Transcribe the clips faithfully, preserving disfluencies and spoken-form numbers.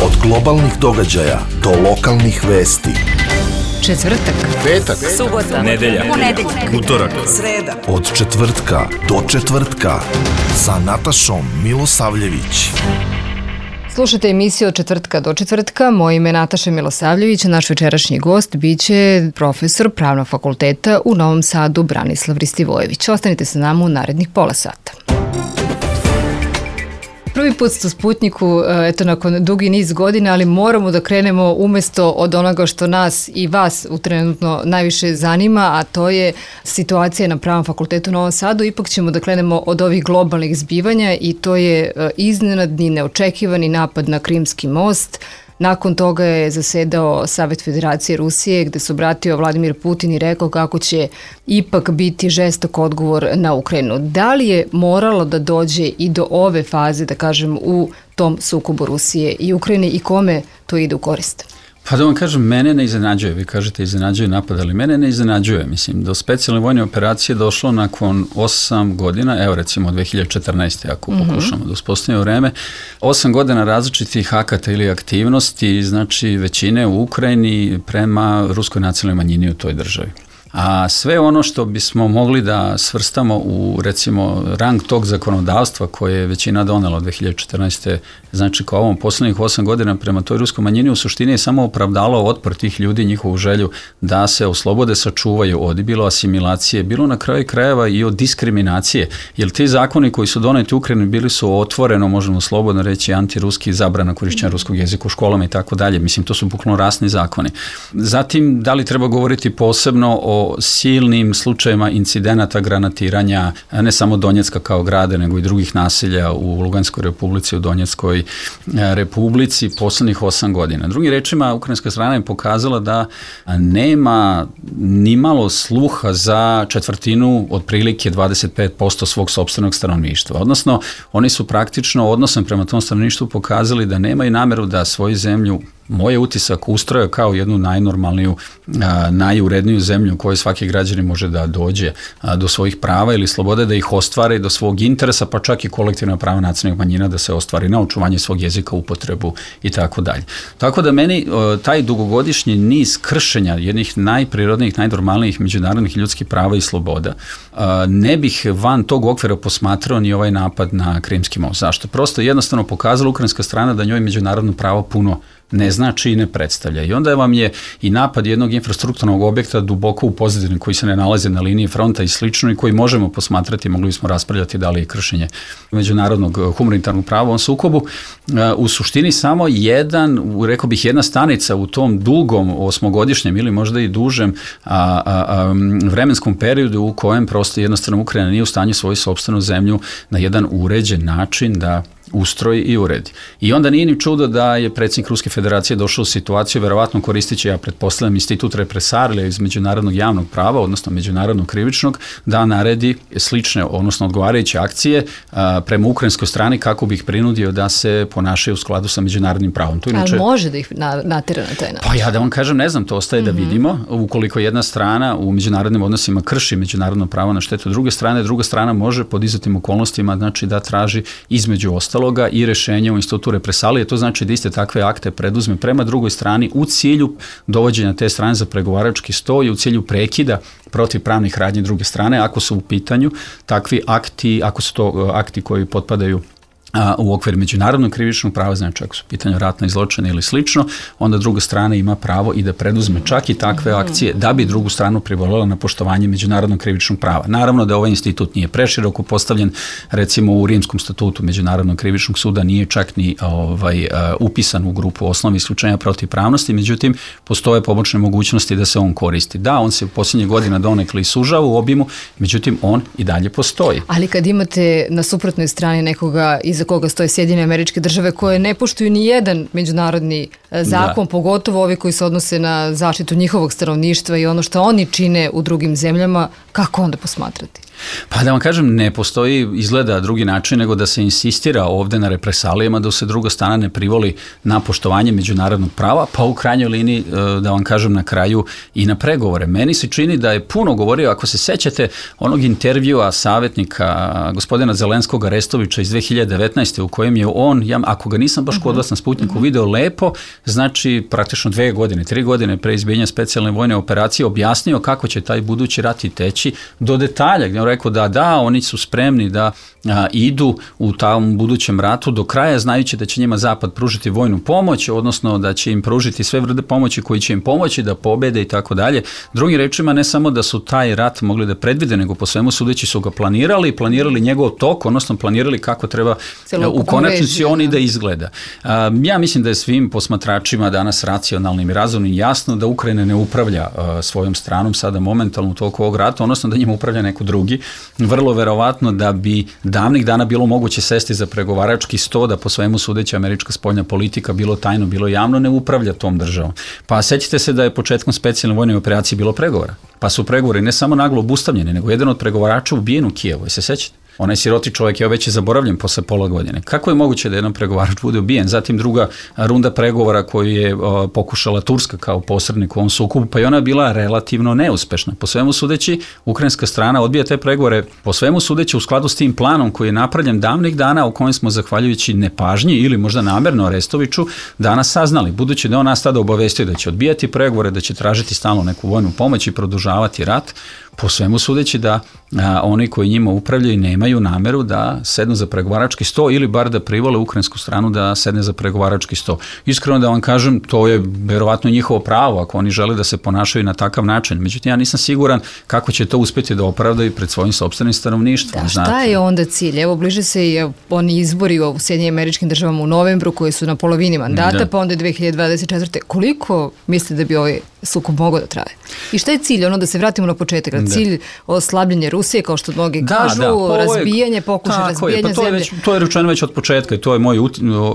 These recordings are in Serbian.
Od globalnih događaja do lokalnih vesti. Četvrtak, petak, subota, nedelja, ponedeljak, utorak, sreda. Od četvrtka do četvrtka sa Natašom Milosavljević. slušajte emisiju Od četvrtka do četvrtka. Moje ime je Nataša Milosavljević, a naš večerašnji gost biće profesor Pravnog fakulteta u Novom Sadu Branislav Ristivojević. Ostanite sa nama u narednih pola sata. Prvi put ste u Sputniku, eto, nakon dugi niz godina, ali moramo da krenemo umesto od onoga što nas i vas u trenutno najviše zanima, a to je situacija na Pravnom fakultetu u Novom Sadu. Ipak ćemo da krenemo od ovih globalnih zbivanja i to je iznenadni, neočekivani napad na Krimski most. Nakon toga je zasedao Savet Federacije Rusije gde se obratio Vladimir Putin i rekao kako će ipak biti žestok odgovor na Ukrajinu. Da li je moralo da dođe i do ove faze, da kažem, u tom sukobu Rusije i Ukrajine i kome to ide u korist? Pa da vam kažem, mene ne iznenađuje, vi kažete iznenađuje napad, ali mene ne iznenađuje, mislim, do specijalne vojne operacije došlo nakon osam godina, evo recimo dve hiljade četrnaeste. ako mm-hmm. pokušamo da uspostavimo vreme, osam godina različitih akata ili aktivnosti, znači većine u Ukrajini prema ruskoj nacionalnoj manjini u toj državi. A sve ono što bismo mogli da svrstamo u, recimo, rang tog zakonodavstva koje je većina donela od dve hiljade četrnaeste. znači kao ovom poslednjih osam godina prema toj ruskoj manjini, u suštini je samo opravdalo otpor tih ljudi, njihovu želju da se oslobode, sačuvaju od bilo asimilacije, bilo na kraju krajeva i od diskriminacije, jer ti zakoni koji su doneti u Ukrajini bili su otvoreno, možemo slobodno reći, antiruski, zabrana korišćenja ruskog jezika u školama i tako dalje. Mislim, to su bukvalno rasni zakoni. Zatim, da li treba govoriti posebno o silnim slučajevima incidenata granatiranja, ne samo Donjecka kao grade, nego i drugih naselja u Luganskoj republici, u Donjeckoj republici poslednjih osam godina. Drugim rečima, ukrajinska strana je pokazala da nema nimalo sluha za četvrtinu, otprilike dvadeset pet posto svog sopstvenog stanovništva. Odnosno, oni su praktično odnosom prema tom stanovništvu pokazali da nemaju nameru da svoju zemlju, moj utisak, ustroje kao jednu najnormalniju, a, najuredniju zemlju u kojoj svaki građanin može da dođe a, do svojih prava ili slobode, da ih ostvari, do svog interesa, pa čak i kolektivna prava nacionalnih manjina da se ostvari na očuvanje svog jezika, upotrebu i tako dalje. Tako da meni o, taj dugogodišnji niz kršenja jednih najprirodnijih, najnormalnijih međunarodnih ljudskih prava i sloboda a, ne bih van tog okvira posmatrao ni ovaj napad na Krimski most. Zašto? Prosto jednostavno pokazala ukrajinska strana da njoj međunarodno pravo puno ne znači i ne predstavlja. I onda vam je i napad jednog infrastrukturnog objekta duboko u pozadini koji se ne nalazi na liniji fronta i slično i koji možemo posmatrati, mogli smo raspravljati da li je kršenje međunarodnog humanitarnog prava u ovom sukobu. U suštini samo jedan, rekao bih jedna stanica u tom dugom osmogodišnjem ili možda i dužem a, a, a, vremenskom periodu u kojem prosto jednostavno Ukrajina nije u stanju svoju sopstvenu zemlju na jedan uređen način da ustroji i uredi. I onda nije ni čudo da je predsjednik Ruske federacije došao u situaciju, verovatno koristići, ja pretpostavljam, institut represarija iz međunarodnog javnog prava, odnosno međunarodnog krivičnog, da naredi slične, odnosno odgovarajuće akcije a, prema ukrajinskoj strani kako bi ih prinudio da se ponašaju u skladu sa međunarodnim pravom. To inače, ali može da ih na, natera na taj način? Pa ja da vam kažem, ne znam, to ostaje mm-hmm. da vidimo. Ukoliko jedna strana u međunarodnim odnosima krši međunarodno pravo na štetu druge strane, druga strana može pod izuzetnim okolnostima, znači da traži između ostalo i rešenje u institutu represalije, to znači da iste takve akte preduzme prema drugoj strani u cilju dovođenja te strane za pregovarački sto i u cilju prekida protiv pravnih radnji druge strane, ako su u pitanju takvi akti, ako su to akti koji potpadaju a, u okviru međunarodnog krivičnog prava, znači ako su u pitanju ratne zločine ili slično, onda druga strana ima pravo i da preduzme čak i takve akcije da bi drugu stranu privolila na poštovanje međunarodnog krivičnog prava. Naravno da ovaj institut nije preširoko postavljen, recimo u Rimskom statutu Međunarodnog krivičnog suda nije čak ni ovaj, upisan u grupu osnovnih isključenja protivpravnosti, međutim postoje pomoćne mogućnosti da se on koristi. Da, on se u posljednjih godina donekle i sužava u obimu, međutim on i dalje postoji. Ali kad imate na suprotnoj strani nekoga iz za koga stoje Sjedinjene Američke Države koje ne poštuju ni jedan međunarodni zakon, da. Pogotovo ovi koji se odnose na zaštitu njihovog stanovništva i ono što oni čine u drugim zemljama, kako onda posmatrati? Pa da vam kažem, ne postoji izgleda drugi način nego da se insistira ovde na represalijama, da se druga strana ne privoli na poštovanje međunarodnog prava, pa u krajnjoj liniji, da vam kažem na kraju, i na pregovore. Meni se čini da je puno govorio, ako se sećate onog intervjua savjetnika gospodina Zelenskog Arestovića iz dve hiljade devetnaeste u kojem je on, ja, ako ga nisam baš kod vas na Sputniku uh-huh. video lepo, znači praktično dve godine, tri godine pre izbijanja specijalne vojne operacije objasnio kako će taj budući rat i teći do detalja, gdje on rekao da da, oni su spremni da a, idu u tom budućem ratu do kraja, znajući da će njima Zapad pružiti vojnu pomoć, odnosno da će im pružiti sve vrste pomoći koji će im pomoći da pobede i tako dalje. Drugim rečima, ne samo da su taj rat mogli da predvide, nego po svemu sudeći su ga planirali, planirali njegov tok, odnosno planirali kako treba u konačnici on i da izgleda. A, ja mislim da je svim posmatračima danas racionalnim i razumnim jasno da Ukrajina ne upravlja a, svojom stranom sada momentalno u toku ovog rata, odnosno da njima upravlja neko drugi. Vrlo verovatno da bi davnih dana bilo moguće sesti za pregovarački sto, da po svemu sudeći američka spoljna politika, bilo tajno, bilo javno, ne upravlja tom državom. Pa sećate se da je početkom specijalne vojne operacije bilo pregovora. Pa su pregovori ne samo naglo obustavljeni, nego jedan od pregovarača ubijen u Kijevu. I se sećate? Onaj siroti čovjek je već je zaboravljen posle pola godine. Kako je moguće da jedan pregovarač bude ubijen? Zatim druga runda pregovora koju je o, pokušala Turska kao posrednik u ovom sukobu, pa i ona je bila relativno neuspešna. Po svemu sudeći, ukrajinska strana odbija te pregovore, po svemu sudeći u skladu s tim planom koji je napravljen davnih dana, u kojem smo zahvaljujući nepažnji ili možda namerno Arestoviću danas saznali. Budući da on nas tada obavestio da će odbijati pregovore, da će tražiti stalno neku vojnu pomoć i produžavati rat, po svemu sudeći da a, oni koji njima upravljaju nemaju nameru da sednu za pregovarački sto ili bar da privole ukrajinsku stranu da sedne za pregovarački sto. Iskreno da vam kažem, to je verovatno njihovo pravo ako oni žele da se ponašaju na takav način. Međutim, ja nisam siguran kako će to uspjeti da opravdaju pred svojim sopstvenim stanovništvom. Da, šta znate. Je onda cilj? Evo, bliže se i oni izbori u Sjedinjenim Američkim Državama u novembru koji su na polovini mandata, da. Pa onda dve hiljade dvadeset četvrte. Koliko mislite da bi ovaj sukob mogao da traje? I šta je cilj? Ono da se vratimo na početak. Da. Cilj oslabljenje Rusije, kao što mnogi da, kažu, da, pa razbijanje, pokušaj razbijanja pa to zemlje. Je već, to je rečeno već od početka i to je moj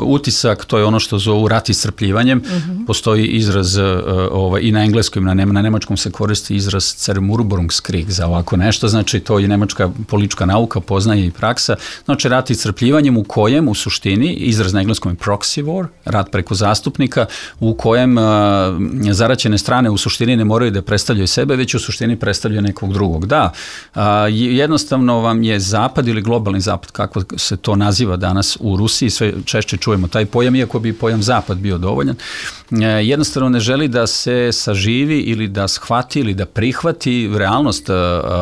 utisak, to je ono što zovu rat iscrpljivanjem. Uh-huh. Postoji izraz uh, ovaj, i na engleskom i na, na nemačkom se koristi izraz Zermurberungskrieg za ovako nešto, znači to je nemačka politička nauka, poznaje i praksa. Znači rat iscrpljivanjem u kojem u suštini, izraz na engleskom je proxy war, rat preko zastupnika, u kojem uh, zaraćene strane u suštini ne moraju da predstavljaju sebe, već u suštini predstavljaju nekog drugog. Da, a, jednostavno vam je zapad ili globalni zapad, kako se to naziva danas u Rusiji, sve češće čujemo taj pojam, iako bi pojam zapad bio dovoljan, e, jednostavno ne želi da se saživi ili da shvati ili da prihvati realnost, a,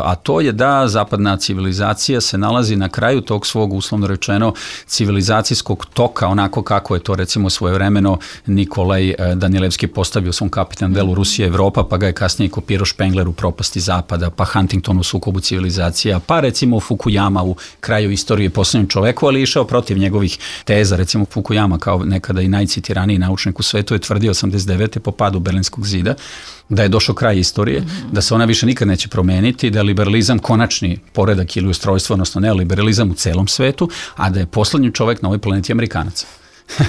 a to je da zapadna civilizacija se nalazi na kraju tog svog, uslovno rečeno, civilizacijskog toka, onako kako je to recimo svojevremeno Nikolaj Danilevski postavio u svom kapitalnom delu Rusija Evropa, pa ga je kasnije kopirao Spengler u Propasti zapada, pa Huntington u Sukobu civilizacija, pa recimo Fukuyama u Kraju istorije posljednjem čoveku, ali išao protiv njegovih teza. Recimo Fukuyama kao nekada i najcitiraniji naučnik u svetu je tvrdio osamdeset devete po padu Berlinskog zida da je došao kraj istorije, mm-hmm. da se ona više nikad neće promeniti, da je liberalizam konačni poredak ili ustrojstvo, odnosno neoliberalizam u celom svetu, a da je poslednji čovek na ovoj planeti Amerikanac.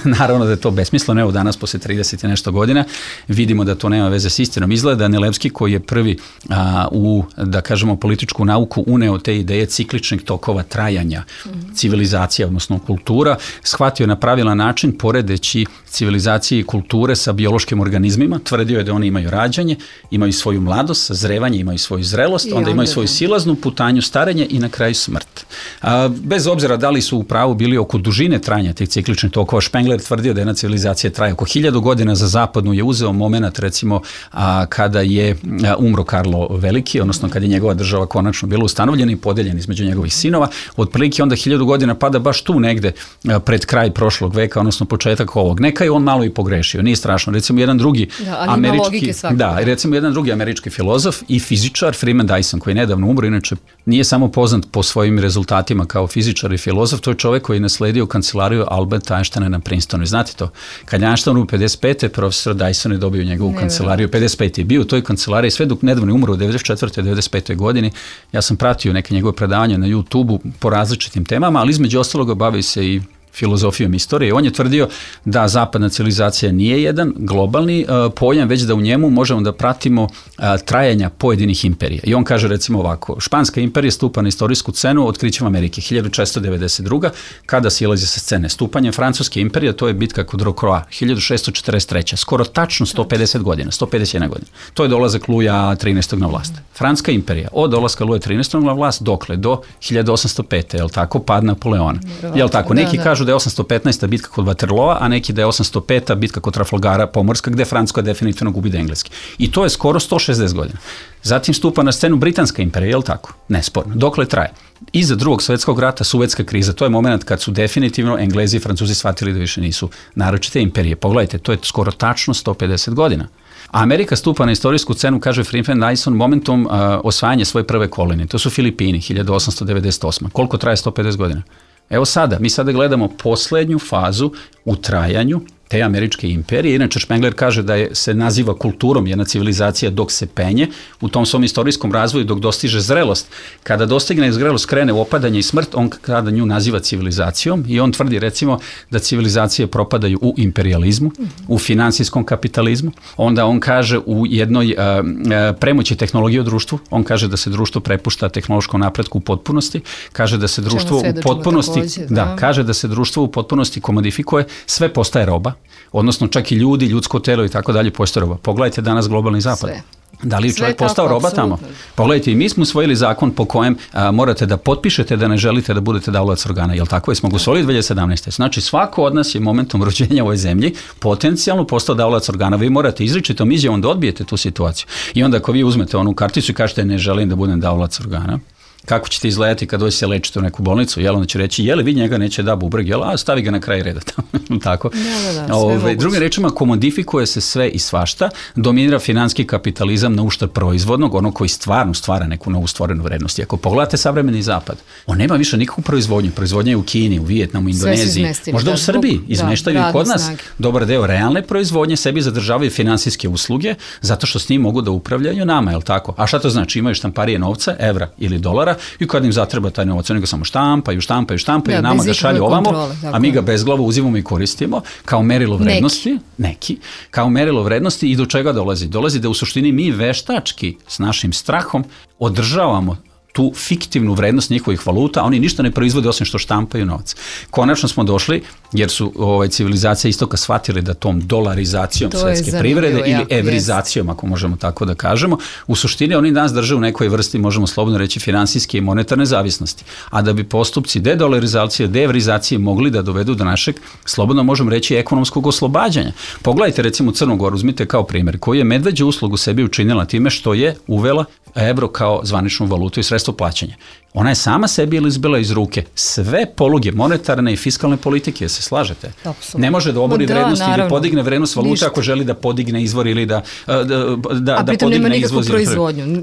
Naravno da je to besmisleno, evo danas posle trideset i nešto godina vidimo da to nema veze s istinom. Izgleda Danilevski koji je prvi a, u, da kažemo, političku nauku uneo te ideje cikličnih tokova trajanja mm-hmm. civilizacija, odnosno kultura, shvatio na pravilan način poredeći civilizacije i kulture sa biološkim organizmima, tvrdio je da oni imaju rađanje, imaju svoju mladost, sazrevanje, imaju svoju zrelost, onda, onda imaju svoju silaznu putanju, starenje i na kraju smrt. A, bez obzira da li su u pravu bili oko dužine trajanja tih cikličnih tokova, Spengler tvrdio da jedna civilizacija traje oko hiljadu godina, za zapadnu je uzeo moment recimo a, kada je a, umro Karlo Veliki, odnosno kada je njegova država konačno bila ustanovljena i podeljena između njegovih sinova, otprilike onda hiljadu godina pada baš tu negde a, pred kraj prošlog veka, odnosno početak ovog. Neka je on malo i pogrešio, nije strašno. Recimo jedan drugi da, američki, da, recimo jedan drugi američki filozof i fizičar Freeman Dyson koji je nedavno umro, inače nije samo poznat po svojim rezultatima kao fizičar i filozof, to je čovek koji je nasledio kancelariju Alberta Einsteina na Princetonu. Znate to? Kad je Einstein u pedeset pete profesor Dyson je dobio njegovu ne, kancelariju. pedeset pete je bio u toj kancelariji sve dok nedavno je umro u devedeset četvrtoj devedeset petoj godini. Ja sam pratio neke njegove predavanja na YouTubeu po različitim temama, ali između ostaloga bavio se i filozofijom istorije. On je tvrdio da zapadna civilizacija nije jedan globalni uh, pojam, već da u njemu možemo da pratimo uh, trajanja pojedinih imperija. I on kaže recimo ovako, Španska imperija stupa na istorijsku scenu otkrićem Amerike hiljadu četiristo devedeset druga. kada silazi sa scene. Stupanjem Francuske imperije, to je bitka kod Rocroi, hiljadu šessto četrdeset treće. Skoro tačno sto pedeset godina, sto pedeset jedna godina. To je dolazak Luja trinaestog na vlast. Francuska imperija, od dolaska Luja trinaestog na vlast, dokle? Do hiljadu osamsto pete. Jel tako? Pad Napoleona. Jel tako? Neki da, da. kažu da je osamsto petnaesta bitka kod Waterloa, a neki da je osamsto peta bitka kod Trafalgara pomorska, gde Francuska definitivno gubi da engleski. I to je skoro sto šezdeset godina. Zatim stupa na scenu Britanska imperija, je li tako? Nesporno. Dokle traje? Iza drugog svjetskog rata, Suvetska kriza, to je moment kad su definitivno Englezi i Francuzi shvatili da više nisu naročite imperije. Pogledajte, to je skoro tačno sto pedeset godina. A Amerika stupa na istorijsku scenu, kaže Freeman Dyson, momentom uh, osvajanja svoje prve kolonije. To su Filipini, hiljadu osamsto devedeset osma. Koliko traje sto pedeset godina? Evo sada, mi sada gledamo posljednju fazu u trajanju te američke imperije. Inače, Spengler kaže da je, se naziva kulturom jedna civilizacija dok se penje u tom svom istorijskom razvoju, dok dostiže zrelost. Kada dostigne zrelost, krene u opadanje i smrt, on kada nju naziva civilizacijom i on tvrdi recimo da civilizacije propadaju u imperializmu, u finansijskom kapitalizmu. Onda on kaže u jednoj uh, uh, premoći tehnologije u društvu, on kaže da se društvo prepušta tehnološkom napretku u potpunosti, kaže da se društvo u potpunosti, također, da. da, kaže da se društvo u potpunosti komodifikuje, sve postaje roba, odnosno čak i ljudi, ljudsko telo i tako dalje postaje roba. Pogledajte danas globalni zapad. Sve. Da li je čovjek postao roba tamo? Pogledajte, i mi smo usvojili zakon po kojem a, morate da potpišete da ne želite da budete davalac organa. Jel tako? Smo ga usvojili dve hiljade sedamnaeste. Znači, svako od nas je momentom rođenja u ovoj zemlji potencijalno postao davalac organa. Vi morate izričitom izjavom da odbijete tu situaciju. I onda ako vi uzmete onu karticu i kažete ne želim da budem davalac organa, kako ćete izgledati kad dođe se lečiti u neku bolnicu, jel, onda će reći, je li vi njega neće da bubreg, jel, a stavi ga na kraj reda tamo, tako. Da, da, da, Ove, drugim rečima, komodifikuje se sve i svašta, dominira finanski kapitalizam na uštrb proizvodnog, ono koji stvarno stvara neku novu stvorenu vrednost. I ako pogledate savremeni zapad, on nema više nikakvu proizvodnju, proizvodnja je u Kini, u Vijetnamu, Indoneziji, možda da, u Srbiji, izmeštaju i kod nas snage. Dobar deo realne proizvodnje, sebi zadržavaju finansijske usluge, zato što s njim mogu da upravljaju nama, jel tako? A šta to znači? Imaju štamparije novca, evra ili dolara, i kad im zatreba taj novac, oni ga samo štampaju, štampaju, štampaju, da, nama ga šalju ovamo, kontrole, a mi ga bezglavo uzimamo i koristimo kao merilo vrednosti, neki. neki, kao merilo vrednosti i do čega dolazi? Dolazi da u suštini mi veštački s našim strahom održavamo tu fiktivnu vrednost njihovih valuta, a oni ništa ne proizvode osim što štampaju novac. Konačno smo došli, jer su ovaj, civilizacije istoka shvatili da tom dolarizacijom to svetske privrede ili jako, evrizacijom, jest. Ako možemo tako da kažemo, u suštini oni nas drže u nekoj vrsti, možemo slobodno reći, finansijske i monetarne zavisnosti. A da bi postupci dedolarizacije, deevrizacije mogli da dovedu do našeg, slobodno možemo reći, ekonomskog oslobađanja. Pogledajte recimo Crnu Goru, uzmite kao primjer, koji je medveđu uslugu sebi učinila time što je uvela evro kao zvaničnu valutu i sredstvo plaćanja. Ona je sama sebi izbila iz ruke sve poluge monetarne i fiskalne politike, se slažete? Absolutno. Ne može da obori da, vrednost naravno. Ili podigne vrednost valute Ništa. Ako želi da podigne izvor ili da, da, da, da podigne izvoz.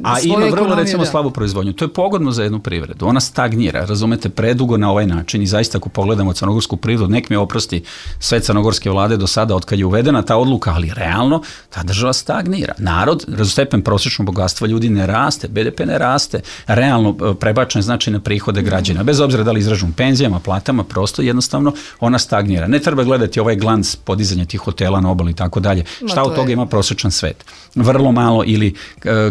A ima vrlo recimo da. slabu proizvodnju. To je pogodno za jednu privredu. Ona stagnira, razumete, predugo na ovaj način i zaista ako pogledamo crnogorsku privredu, nek mi oprosti sve crnogorske vlade do sada od kad je uvedena ta odluka, ali realno ta država stagnira. Narod, stepen prosječnog bogatstva ljudi ne raste, be de pe ne raste, realno prebačen znači na prihode građana. Bez obzira da li izražu penzijama, platama, prosto jednostavno ona stagnira. Ne treba gledati ovaj glans podizanja tih hotela na obali i tako dalje. Šta od toga je... ima prosječan svet? Vrlo malo ili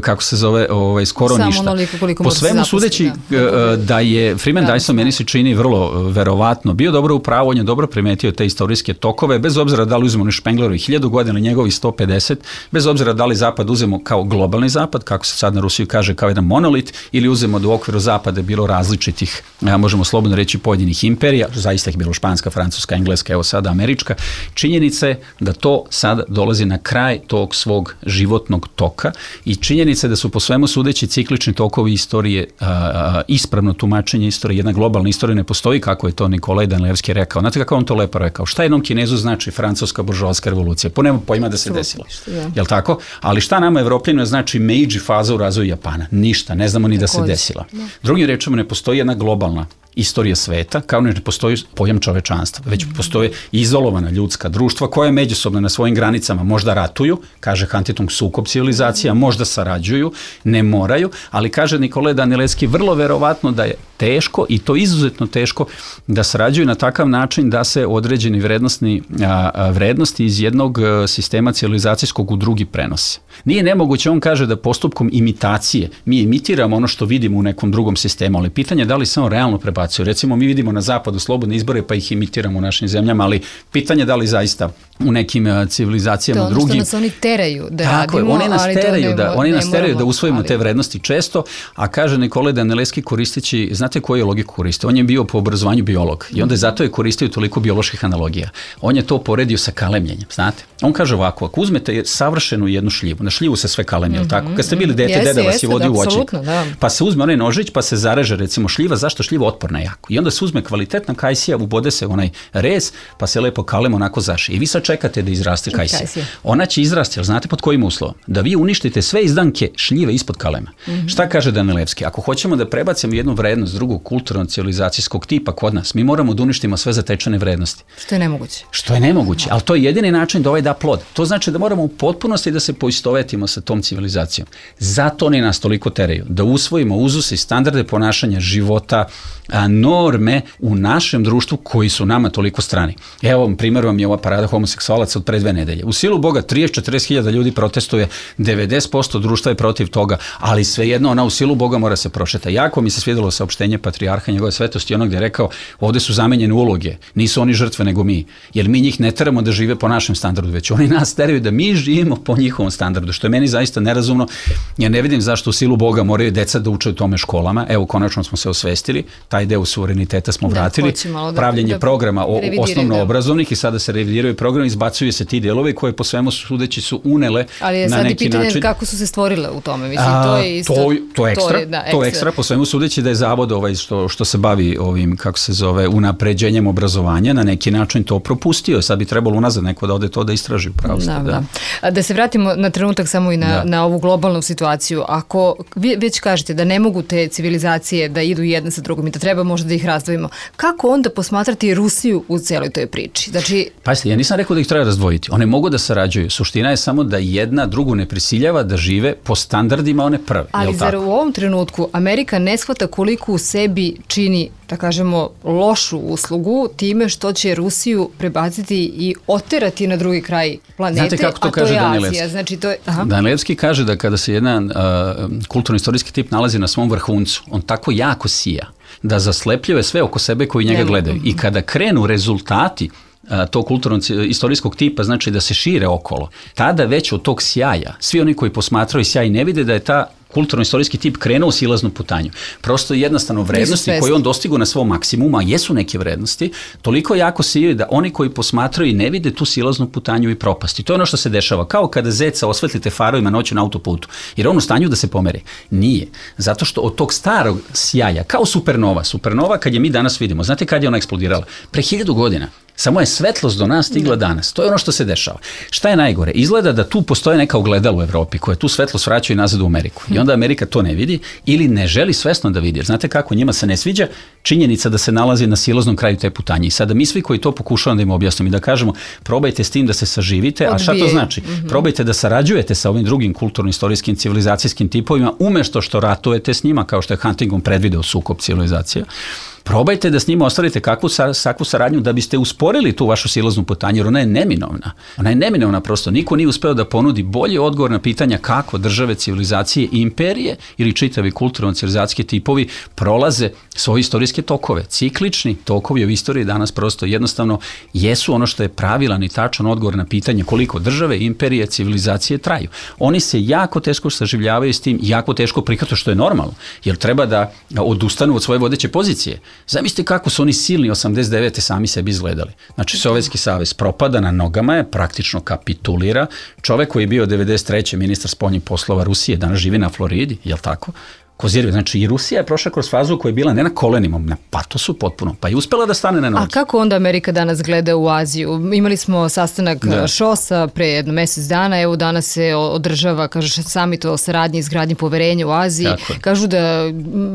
kako se zove, ovaj, skoro Samo ništa. Po svemu sudeći da, da je Freeman da, Dyson meni se čini vrlo verovatno bio dobro u pravu, on je dobro primetio te istorijske tokove, bez obzira da li uzmemo Spenglerovi hiljadu godina ili njegovi sto pedeset, bez obzira da li zapad uzemo kao globalni zapad, kako se sad na Rusiju kaže kao jedan monolit, ili uzemo da u okviru zapada bilo različitih, ja, možemo slobodno reći pojedinih imperija, zaista ih bilo španska, francuska, engleska, evo sada američka. Činjenica je da to sad dolazi na kraj tog svog životnog toka i činjenica je da su po svemu sudeći ciklični tokovi istorije, a, a, ispravno tumačenje istorije, jedna globalna istorija ne postoji, kako je to Nikolaj Danilevski rekao. Znate kako on to lepo rekao? Šta jednom Kinezu znači francuska buržoaska revolucija? Po nema pojma da se desila. Jel tako? Ali šta nama Evropljeno znači Meiji faza u razvoju Japana? Ništa, ne znamo ni da se desila. Drugim rečima, ne postoji jedna globalna istorija sveta, kao ne postoji pojam čovečanstva, već postoje izolovana ljudska društva koja međusobno na svojim granicama možda ratuju, kaže Huntington, sukob civilizacija, možda sarađuju, ne moraju, ali kaže Nikolaj Danilevski vrlo verovatno da je teško i to izuzetno teško da sarađuju na takav način da se određeni vrednostni, a, a, vrednosti iz jednog sistema civilizacijskog u drugi prenose. Nije nemoguće, on kaže da postupkom imitacije mi imitiramo ono što vidimo u nekom drugom sistemu, ali pitanje je da li se on realno prebacuje. Recimo mi vidimo na zapadu slobodne izbore pa ih imitiramo u našim zemljama, ali pitanje je da li zaista u nekim civilizacijama drugim. To ono što nas oni teraju da tako radimo, je, oni nas ali teraju, to ne, da, oni ne nas teraju moramo, da usvojimo ali... te vrednosti često, a kaže Nikolaj Danielewski koristeći, znate koju je logiku koristio? On je bio po obrazovanju biolog i onda je zato je koristio toliko bioloških analogija. On je to poredio sa kalemljenjem, znate? On kaže ovako, ako uzmete savršenu jednu šljivu, na šljivu se sve kalemlje, mm-hmm. tako? Kad ste bili dete, jeste, deda vas jeste, je vodio u voćnik, da. Pa se uzme onaj nožić, pa se zareže recimo šljiva, zašto šljiva otporna jako? I onda se uzme kvalitetna kajsija, ubode se onaj rez, pa se lepo kalem onako zašije. I vi sad čekate da izraste kajsija. Ona će izrasti, ali znate pod kojim uslovom? Da vi uništite sve izdanke šljive ispod kalema. Mm-hmm. Šta kaže Danielewski? Ako hoćemo da prebacimo jednu vrednost drugog kulturno-civilizacijskog tipa kod nas, mi moramo da uništimo sve zatečene vrednosti. Što je nemoguće. Što je nemoguće, ali to je jedini način da ovaj da plod. To znači da moramo u potpunosti da se poistovetimo sa tom civilizacijom. Zato oni nas toliko teraju. Da usvojimo uzuse i standarde ponašanja života, a, norme u našem društvu koji su nama toliko strani. Evo, primjer vam je ova parada homoseksualaca od pre dve nedelje. U silu Boga trideset do četrdeset hiljada ljudi protestuje, devedeset posto društva je protiv toga, ali svejedno ona u silu Boga mora se prošeta. Jako mi se svidjelo saopštenje patrijarha njegove svetosti, ono gdje je rekao, ovdje su zamenjene uloge, nisu oni žrtve nego mi, jer mi njih ne teramo da žive po našem standardu, već oni nas teraju da mi živimo po njihovom standardu, što je meni zaista nerazumno. Ja ne vidim zašto u silu Boga moraju deca da uče u tome školama. Evo, konačno smo se osvestili, taj deo suvereniteta smo vratili, da, pravljenje da, programa o, osnovno obrazovnih i sada se revidiraju program, izbacuju se ti delovi koje po svemu sudeći su unele ali je na sad neki pitanje način. Kako su se stvorile u tome? Mislim, to je isto. To, to ekstra, to je, da, ekstra. To ekstra, po svemu sudeći da je zavod ovaj što, što se bavi ovim, kako se zove, unapređenjem obrazovanja, na neki način to propustio. Sad bi trebalo unazad neko da ode to da istraži upravo. Da, da. Da. da se vratimo na trenutak samo i na, na ovu globalnu situaciju. Ako vi već kažete da ne mogu te civilizacije da idu jedna sa drugom i da treba možda da ih razdvojimo, kako onda posmatrati Rusiju u celoj toj priči? Znači... Pazite, ja nisam rekao da ih treba razdvojiti. One mogu da sarađuju. Suština je samo da jedna drugu ne prisiljava da žive po standardima one prve. Ali zar u ovom trenutku Amerika ne shvata koliko u sebi čini, da kažemo, lošu uslugu time što će Rusiju prebaciti i oterati na drugi kraj planete, znate kako to a kaže to je Danielewski? Azija. Znači, to je... Danielewski kaže da kada se jedan uh, kulturno-istorijski tip nalazi na svom vrhuncu, on tako jako sija da zaslepljuje sve oko sebe koji njega gledaju. I kada krenu rezultati tog kulturno-istorijskog tipa, znači da se šire okolo, tada već od tog sjaja, svi oni koji posmatraju sjaj ne vide da je ta kulturno-istorijski tip krenuo u silaznu putanju. Prosto jednostavno vrednosti koje on dostigu na svom maksimumu, a jesu neke vrednosti, toliko jako sijaju da oni koji posmatraju i ne vide tu silaznu putanju i propasti. To je ono što se dešava. Kao kada zeca osvetlite farovima noću na autoputu. Jer on u stanju da se pomeri. Nije. Zato što od tog starog sjaja, kao supernova, supernova kad je mi danas vidimo, znate kad je ona eksplodirala? Pre hiljadu godina. Samo je svetlost do nas stigla danas. To je ono što se dešava. Šta je najgore? Izgleda da tu postoje neka ogledala u Evropi koje tu svetlost vraćaju nazad u Ameriku. I onda Amerika to ne vidi ili ne želi svesno da vidi. Jer znate kako, njima se ne sviđa činjenica da se nalazi na silaznom kraju te putanje. I sada mi svi koji to pokušavamo da im objasnimo i da kažemo probajte s tim da se saživite, a šta to znači? Mm-hmm. Probajte da sarađujete sa ovim drugim kulturno-istorijskim civilizacijskim tipovima umjesto što ratujete s njima, kao što je Huntington predvideo sukob civilizacija. Probajte da s njima ostvarite kakvu, kakvu saradnju da biste usporili tu vašu silaznu putanju, jer ona je neminovna. Ona je neminovna prosto. Niko nije uspeo da ponudi bolji odgovor na pitanja kako države, civilizacije i imperije ili čitavi kulturno-civilizacijski tipovi prolaze svoje istorijske tokove. Ciklični tokovi u istoriji danas prosto jednostavno jesu ono što je pravilan i tačan odgovor na pitanje koliko države, imperije, civilizacije traju. Oni se jako teško saživljavaju s tim, jako teško prihvataju, što je normalno, jer treba da odustanu od svoje vodeće pozicije. Zamislite kako su oni silni osamdeset devete sami sebi izgledali. Znači, Sovjetski savez propada, na nogama je, praktično kapitulira. Čovek koji je bio devedeset treće ministar spoljnih poslova Rusije, danas živi na Floridi, jel tako? Kozirve. Znači i Rusija je prošla kroz fazu koja je bila ne na kolenima, na patosu potpuno, pa je uspela da stane na noge. A kako onda Amerika danas gleda u Aziju? Imali smo sastanak da. ŠOS-a pre jedno mjesec dana, evo danas se održava, kaže, samit o saradnji i izgradnji poverenja u Aziji. Kažu da,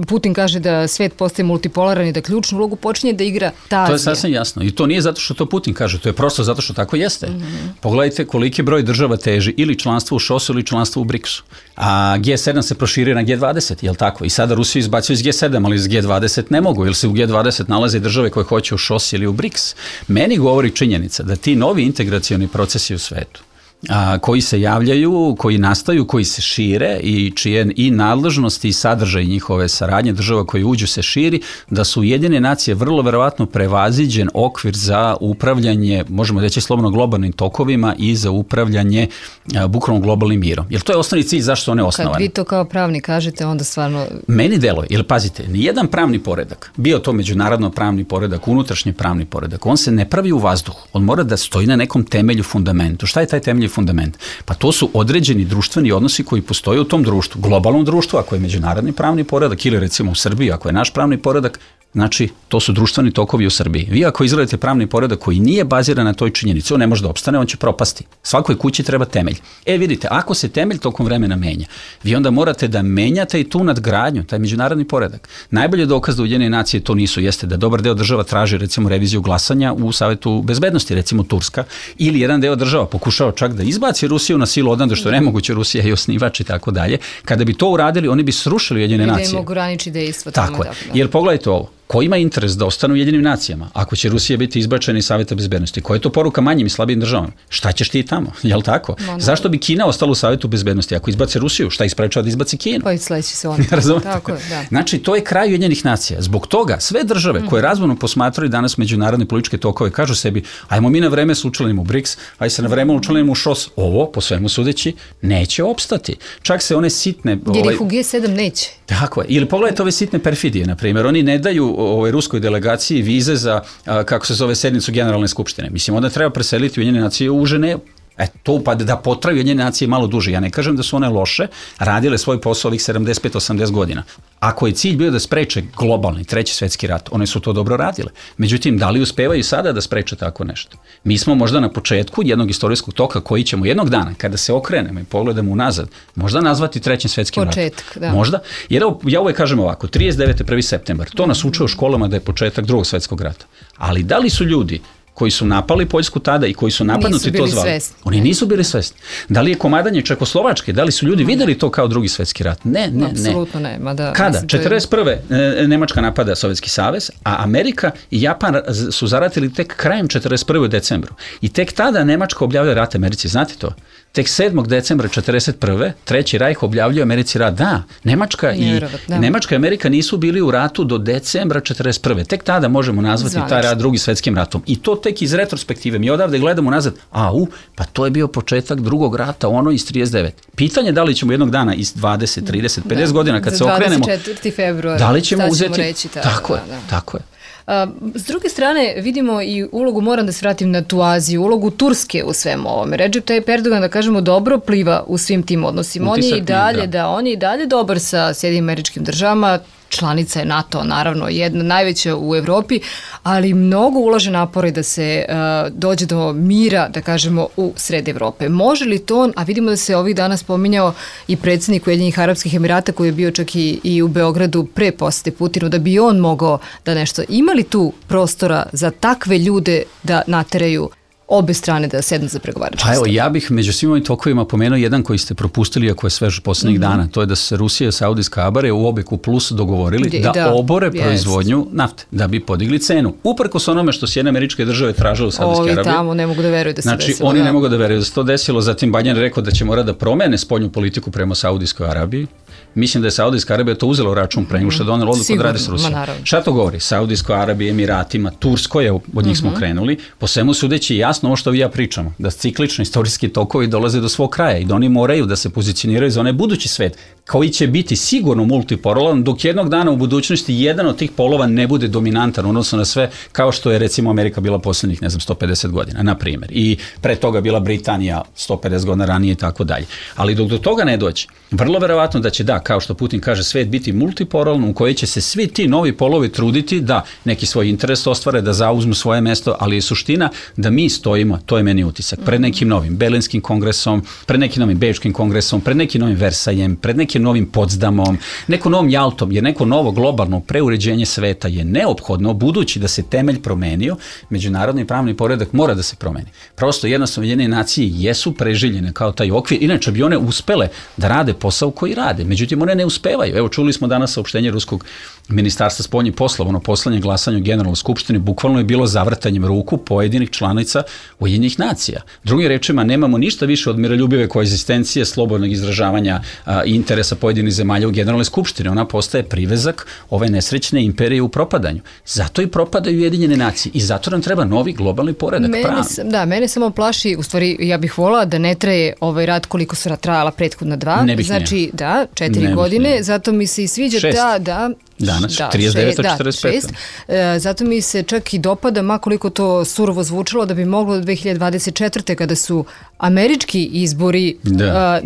Putin kaže da svet postaje multipolaran i da ključnu ulogu počinje da igra ta Azija. To je sasvim jasno i to nije zato što to Putin kaže, to je prosto zato što tako jeste. Mm-hmm. Pogledajte koliki broj država teži ili članstvo u ŠOS-u ili članstvo u briksu. A G sedam se proširio na G dvadeset, jel jel tako? I sada Rusiju izbacuju iz G sedam, ali iz G dvadeset ne mogu, jer se u G dvadeset nalaze države koje hoće u ŠOS ili u BRICS. Meni govori činjenica da ti novi integracioni procesi u svetu, a, koji se javljaju, koji nastaju, koji se šire i čije i nadležnosti i sadržaj njihove saradnje država koji uđu se širi, da su Ujedinjene nacije vrlo verovatno prevaziđen okvir za upravljanje, možemo reći slobodno globalnim tokovima i za upravljanje a, bukvalno globalnim mirom. Jer to je osnovni cilj zašto su one osnovane. Kad vi to kao pravni kažete, onda stvarno... Meni deluje, jer pazite, nijedan pravni poredak, bio to međunarodno pravni poredak, unutrašnji pravni poredak, on se ne pravi u vazduhu, on mora da stoji na nekom temelju, fundamentu. Šta je taj temelj fundament? Pa to su određeni društveni odnosi koji postoje u tom društvu, globalnom društvu, ako je međunarodni pravni poredak, ili recimo u Srbiji, ako je naš pravni poredak, znači to su društveni tokovi u Srbiji. Vi ako izgledate pravni poredak koji nije baziran na toj činjenici, on ne može da opstane, on će propasti. Svakoj kući treba temelj. E vidite, ako se temelj tokom vremena menja, vi onda morate da menjate i tu nadgradnju, taj međunarodni poredak. Najbolji dokaz da Ujedinjene nacije to nisu jeste da dobar deo država traži recimo reviziju glasanja u Savetu bezbednosti, recimo Turska, ili jedan deo država pokušao čak da izbaci Rusiju na silu odande, što je nemoguće, Rusija je osnivač i tako dalje. Kada bi to uradili, oni bi srušili Ujedinjene nacije. I da im ograniči dejstvo. Tako je. Jer pogledajte ovo. Ko ima interes da ostanu u Ujedinjenim nacijama? Ako će Rusija biti izbačena iz Saveta bezbednosti, koja je to poruka manjim i slabijim državama? Šta ćeš ti tamo? Jel tako? No, no. Zašto bi Kina ostala u Savetu bezbednosti? Ako izbace Rusiju, šta isprečava da izbaci Kinu? Pa i sledeći se on. Tako je, da. Znači, to je kraj Ujedinjenih nacija. Zbog toga sve države koje razvojno posmatraju danas međunarodne političke tokove kažu sebi, ajmo mi na vreme se učlanimo u BRICS, aj se na vreme učlanimo u ŠOS. Ovo, po svemu sudeći, neće opstati. Čak se one sitne... Jer ih u G sedam neće. Tako je. Ili pogledajte ove sitne perfidije, na primjer. Oni ne daju ovoj ruskoj delegaciji vize za, a, kako se zove, sednicu Generalne skupštine. Mislim, onda treba preseliti Ujedinjene nacije u Ženevu. E, to pa da potraju Ujedinjene nacije malo duže. Ja ne kažem da su one loše, radile svoj posao ovih sedamdeset pet osamdeset godina. Ako je cilj bio da spreče globalni treći svetski rat, one su to dobro radile. Međutim, da li uspevaju sada da spreče tako nešto? Mi smo možda na početku jednog istorijskog toka koji ćemo jednog dana, kada se okrenemo i pogledamo unazad, možda nazvati trećim svetskim ratom. Početak, da. Možda. Jer ja uvek kažem ovako, trideset devete prvi septembar, to nas uče u školama da je početak drugog svetskog rata. Ali da li su ljudi koji su napali Poljsku tada i koji su napadnuti to zvali. Svesni. Oni nisu bili svesni. Da li je komadanje Čekoslovačke, da li su ljudi videli to kao drugi svetski rat? Ne, ne, ne. Apsolutno ne. Mada, Kada? četrdeset prve. Nemačka napada Sovjetski savez, a Amerika i Japan su zaratili tek krajem četrdeset prve u decembru. I tek tada Nemačka objavlja rat Americi. Znate to? Tek sedmog decembra četrdeset prve. Treći Rajh objavljuje Americi rat. Da, Nemačka i, da. Nemačka i Amerika nisu bili u ratu do decembra četrdeset prve. Tek tada možemo nazvati Zvanično. taj rat drugi svetskim ratom. I to tek iz retrospektive. Mi odavde gledamo nazad, a u, pa to je bio početak drugog rata, ono iz trideset devete. Pitanje da li ćemo jednog dana iz dvadeset, trideset, pedeset da. godina kad se okrenemo, dvadeset četvrtog februara, da li ćemo uzeti, reći ta, tako da, je, da. tako je. A, s druge strane, vidimo i ulogu, moram da se vratim na tu Aziju, ulogu Turske u svemu ovome. Recep Tayyip Erdogan, da kažemo, dobro pliva u svim tim odnosima. On je i dalje, da. da, on je i dalje dobar sa Sjedinim Američkim Državama, članica je NATO, naravno, jedna najveća u Evropi, ali mnogo ulaže napore da se uh, dođe do mira, da kažemo, u sred Evrope. Može li to, a vidimo da se ovih dana spominjao i predsjednik Ujedinjenih Arapskih Emirata koji je bio čak i, i u Beogradu pre posete Putinu, da bi on mogao da nešto... Ima li tu prostora za takve ljude da nateraju obe strane da sednu za pregovarački stol? Pa evo, stol? ja bih među svim ovim tokovima pomenuo jedan koji ste propustili, ako je svež poslednjih mm-hmm. dana, to je da se Rusija i Saudijska Arabija u Obeku plus dogovorili da, da obore yes. proizvodnju nafte, da bi podigli cenu. Uprkos onome što Sjedinjene Američke Države tražile u Saudijske Arabije. Ovi tamo ne mogu da veruju da se znači, desilo. Oni da. ne mogu da veruju da se to desilo, zatim Biden rekao da će mora da promene spoljnu politiku prema Saudijskoj Arabiji. Mislim da je Saudijska Arabija to uzela u račun pre nego što je donela odluku da radi s Rusijom. Šta to govori? Saudijskoj Arabiji, Emiratima, Turskoj, od njih uh-huh. smo krenuli, po svemu sudeći jasno ovo što vi ja pričamo, da ciklični istorijski tokovi dolaze do svog kraja i da oni moraju da se pozicioniraju za onaj budući svet, koji će biti sigurno multipolaran, dok jednog dana u budućnosti jedan od tih polova ne bude dominantan, odnosno na sve, kao što je recimo Amerika bila posljednjih, ne znam, sto pedeset godina, na primjer. I pre toga bila Britanija sto pedeset godina ranije i tako dalje. Ali dok do toga ne dođe, vrlo verovatno da će, da, kao što Putin kaže, svet biti multipolaran u kojoj će se svi ti novi polovi truditi da neki svoj interes ostvare, da zauzmu svoje mesto, ali je suština da mi stojimo, to je meni utisak, pred nekim novim Berlinskim kongresom, pred nekim novim Bečkim kongresom, pred nekim novim Versajem, pred nekim novim Potsdamom, nekom novom Jaltom, jer neko novo globalno preuređenje sveta je neophodno, budući da se temelj promenio, međunarodni pravni poredak mora da se promeni. Prosto jednostavno Ujedinjene nacije jesu preživljene kao taj okvir, inače bi one uspele da rade posao koji rade. Međutim, međutim one ne uspevaju. Evo, čuli smo danas saopštenje ruskog ministarstva spoljnih poslova, ono poslanje glasanja u Generalnoj skupštini bukvalno je bilo zavrtanjem ruku pojedinih članica Ujedinjenih nacija. Drugim rečima, nemamo ništa više od miroljubive koegzistencije, slobodnog izražavanja a, interesa pojedinih zemalja u Generalnoj skupštini. Ona postaje privezak ove nesrećne imperije u propadanju. Zato i propadaju Ujedinjene nacije i zato nam treba novi globalni poredak. Mene, da, mene samo plaši, u stvari ja bih volala da ne traje ovaj rat koliko su trajala prethodna dva. Ne bih znači, nije. da, četiri ne godine, nije. Zato mi se i sviđa šest. ta, da, Danas, da, trideset devet šest, četrdeset pet. Da, šest. E, zato mi se čak i dopada, makoliko to surovo zvučalo, da bi moglo do dve hiljade dvadeset četvrte kada su američki izbori, a,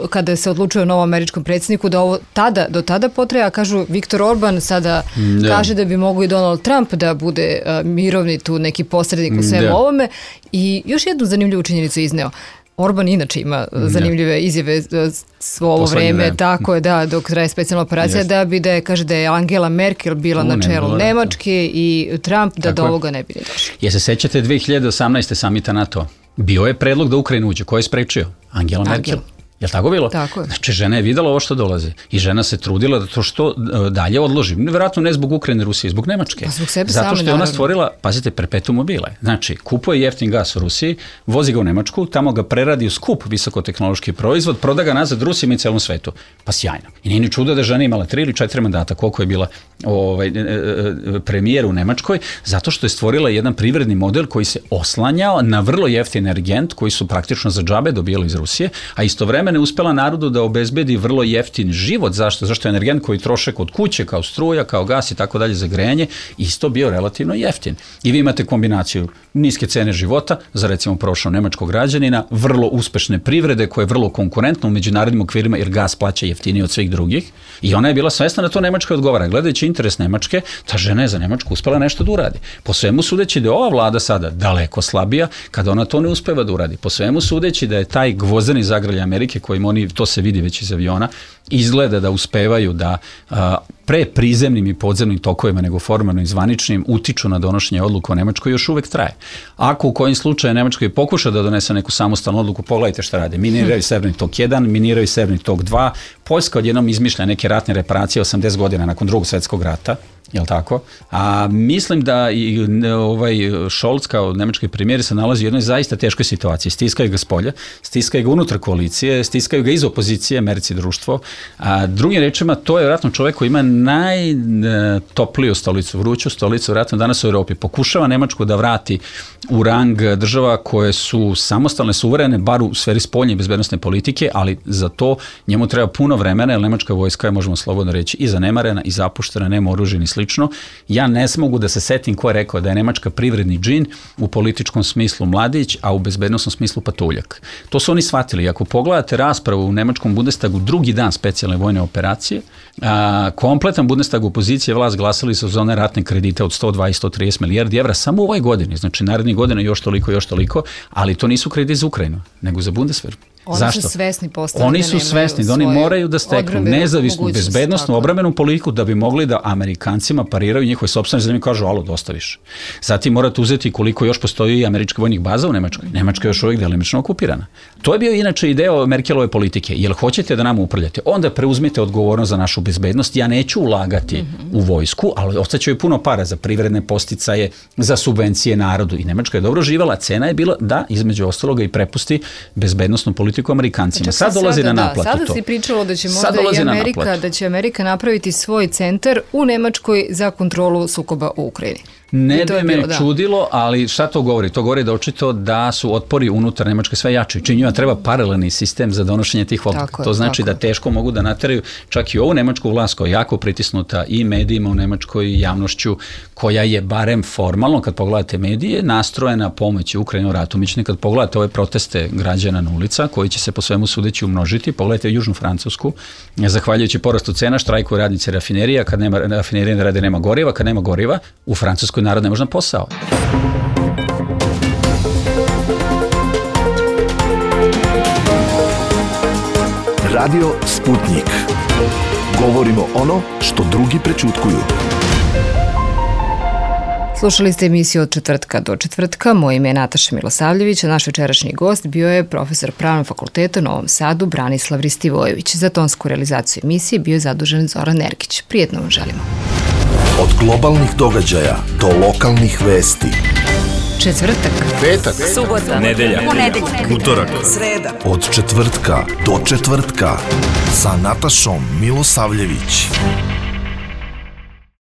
kada se odlučuje o novom američkom predsjedniku, da ovo tada, do tada potraja, kažu Viktor Orban sada da. kaže da bi mogo i Donald Trump da bude a, mirovni tu neki posrednik u svemu da. ovome. I još jednu zanimljivu činjenicu izneo. Orban inače ima zanimljive ne. izjave svo ovo vreme, vreme, tako je, da, dok traje specijalna operacija, da bi da je, kaže da je Angela Merkel bila U, na čelu ne Nemačke i Trump da tako do ovoga ne bi ne došlo. Je se sećate dve hiljade osamnaeste samita NATO? Bio je predlog da Ukrajina uđe. Ko je sprečio? Angela Angel. Merkel. Je li tako bilo? Tako je. Znači, žena je videla ovo što dolazi i žena se trudila da to što dalje odloži. Vjerojatno ne zbog Ukrajine, Rusije, zbog Nemačke. Pa zbog sebe Zato same, što je ona naravno. stvorila, pazite, perpetuum mobile. Znači, kupuje jeftin gas u Rusiji, vozi ga u Nemačku, tamo ga preradi u skup visokotehnološki proizvod, proda ga nazad Rusima i celom svetu. Pa sjajno. I nije ni čudo da žena imala tri ili četiri mandata, koliko je bila ovaj, premijer u Nemačkoj, zato što je stvorila jedan privredni model koji se oslanjao na vrlo jeftin energent koji su praktično za džabe dobijali iz Rusije, a istovremeno je uspela narodu da obezbedi vrlo jeftin život. Zašto? Zašto je energent koji troše kod kuće, kao struja, kao gas i tako dalje za grejanje, isto bio relativno jeftin. I vi imate kombinaciju niske cene života za recimo prošlog nemačkog građanina, vrlo uspešne privrede koja je vrlo konkurentna u međunarodnim okvirima jer gas plaća jeftinije od svih drugih i ona je bila svesna da to Nemačkoj odgovara. Gledajući interes Nemačke, ta žena je za Nemačku uspela nešto da uradi. Po svemu sudeći da je ova vlada sada daleko slabija kada ona to ne uspeva da uradi. Po svemu sudeći da je taj gvozdeni zagrljaj Amerike kojim oni, to se vidi već iz aviona, izgleda da uspevaju da a, pre prizemnim i podzemnim tokovima nego formalno i zvaničnim utiču na donošenje odluka o Nemačkoj još uvek traje. Ako u kojim slučaju Nemačkoj pokuša da donese neku samostalnu odluku, pogledajte šta rade. Miniraju Severni tok jedan, miniraju Severni tok dva, Poljska odjednom izmišlja neke ratne reparacije osamdeset godina nakon drugog svjetskog rata, jel tako? A mislim da i ovaj Scholz kao nemački premijer se nalazi u jednoj zaista teškoj situaciji. Stiskaju ga s polja, stiskaju ga unutar koalicije, stiskaju ga iz opozicije, Merci društvo. A drugim rečima, to je vjerojatno čovjek koji ima najtopliju stolicu, vruću stolicu, vjerojatno danas u Europi. Pokušava Nemačku da vrati u rang država koje su samostalne, suverene, bar u sferi spoljne i bezbednosne politike, ali za to njemu treba puno vremena, jer nemačka vojska je, možemo slobodno reći, i zanemarena, i zapuštena, nema oružje ni slično. Ja ne smogu da se setim ko je rekao da je Nemačka privredni džin, u političkom smislu mladić, a u bezbednosnom smislu patuljak. To su oni shvatili. Ako pogledate raspravu u nemačkom Bundestagu drugi dan specijalne vojne operacije, a, kompletan Bundestag opozicije vlast glasali su za one ratne kredite od sto dvadeset do sto trideset milijardi evra samo u ovoj godini. Znači narednih godina još toliko, još toliko, ali to nisu krediti za Ukrajinu, nego za Bundeswehr. Oni Zašto? su svesni postali. Oni su svesni da oni moraju da steknu nezavisnu, bezbednosnu, obrambenu politiku da bi mogli da Amerikancima pariraju njihove sopstvene zemlje i kažu, alo, dosta više. Zatim morate uzeti koliko još postoji američkih vojnih baza u Nemačkoj. Nemačka je još uvijek delimično okupirana. To je bio inače ideo Merkelove politike. Jel hoćete da nam upravljate? Onda preuzmite odgovornost za našu bezbednost. Ja neću ulagati mm-hmm. u vojsku, ali ostaće joj puno para za privredne posticaje, za subvencije narodu. I Nemačka je dobro živala. Cena je bila da, između ostaloga, i prepusti bezbednosnu politiku Amerikancima. Sad dolazi sada, na naplatu da, sada to. Sada si pričalo da će možda i Amerika, da će Amerika napraviti svoj centar u Nemačkoj za kontrolu sukoba u Ukrajini. Ne bi me bilo, čudilo, ali šta to govori? To govori da očito da su otpori unutar Nemačke sve jači. Činjima treba paralelni sistem za donošenje tih odluka. To znači tako. Da teško mogu da nateraju čak i ovu nemačku vlast koja je jako pritisnuta i medijima u Nemačkoj, javnošću, koja je barem formalno, kad pogledate medije, nastrojena pomoći Ukrajinu ratu. Mični, kad pogledate ove proteste građana na ulica, koji će se po svemu sudeći umnožiti, pogledajte Južnu Francusku, zahvaljujući porastu cena, štrajkuju radnici rafinerija, kad nema rafinerija ne rade, nema goriva, kad nema goriva, u Francuskoj narod ne može na posao. Radio Sputnik. Govorimo ono što drugi prećutkuju. Slušali ste emisiju Od četvrtka do četvrtka. Moje ime je Nataša Milosavljević, a naš večerašnji gost bio je profesor Pravnog fakulteta u Novom Sadu Branislav Ristivojević. Za tonsku realizaciju emisije bio je zadužen Zoran Nergić. Prijetno vam želimo. Od globalnih događaja do lokalnih vesti. Četvrtak, Petak, subota, nedelja, ponedeljak, utorak, sreda. od četvrtka do četvrtka sa Natašom Milosavljević.